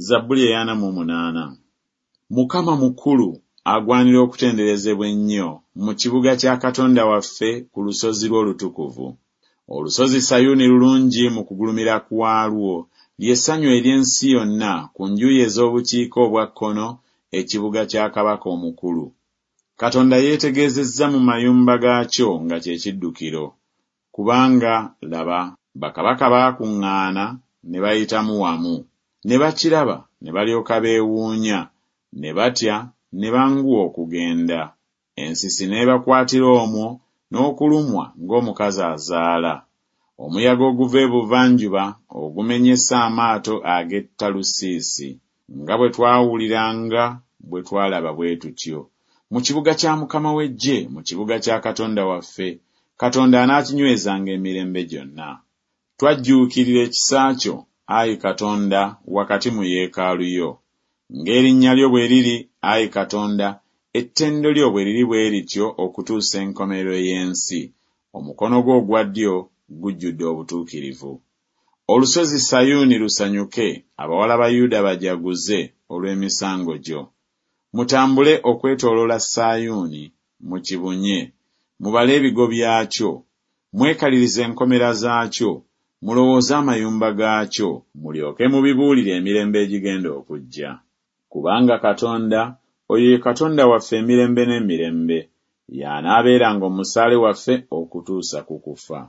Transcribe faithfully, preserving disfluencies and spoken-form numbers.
Zabbuli ey'ana mu munaana. Mukama mukulu, agwanira okutenderezebwa ennyo mu kibuga kya Katonda waffe ku lusozi lwe olutukuvu. Olusozi Sayuuni lulungi mu kugulumira kwalwo, lye ssanyu ery'ensi yonna ku njuyi ez'obukiika obwa kkono, ekibuga kya Kabaka omukulu. Katonda yeetegeezezza mu mayumba gaakyo nga kye kiddukiro. Kubanga, laba, bakabaka baakuŋŋaana ne bayitamu wamu, ne bakiraba ne balyoka beewuunya, ne batya ne banguwa okugenda. Ensisi n'ebakwatira omwo, n'okulumwa ng'omukazi azaala. Omuyaga oguva ebuvanjuba ogumenyesa amaato ag'e Talusiisi, nga bwe twawuliranga bwe twalaba bwe tutyo. Mu kibuga kya Mukama w'eggye, mu kibuga kya Katonda waffe, Katonda anaakinywezanga emirembe gyonna. Twajjuukirira ekisa kyo, ayi Katonda, wakati mu yeekaalu yo. Ng'erinnya lyo bwe liri, ayi Katonda, ettendo lyo bwe liri bwe lityo okutuusa enkomerero y'ensi, omukono gwo ogwa ddyo gujjudde obutuukirivu. Olusozi Sayuuni lusanyuke, abawala ba Yuda bajaguze olw'emisango gyo. Mutambule okwetooloola Sayuuni, mukibunye, mubale ebigo byakyo, mwekalirize enkomera zaakyo, mulowooze amayumba gaakyo, mulyoke mubibuulire emirembe egigenda okujja. Kubanga Katonda, oyo ye Katonda waffe emirembe n'emirembe, y'anaabeeranga omusaale waffe okutuusa ku kufa.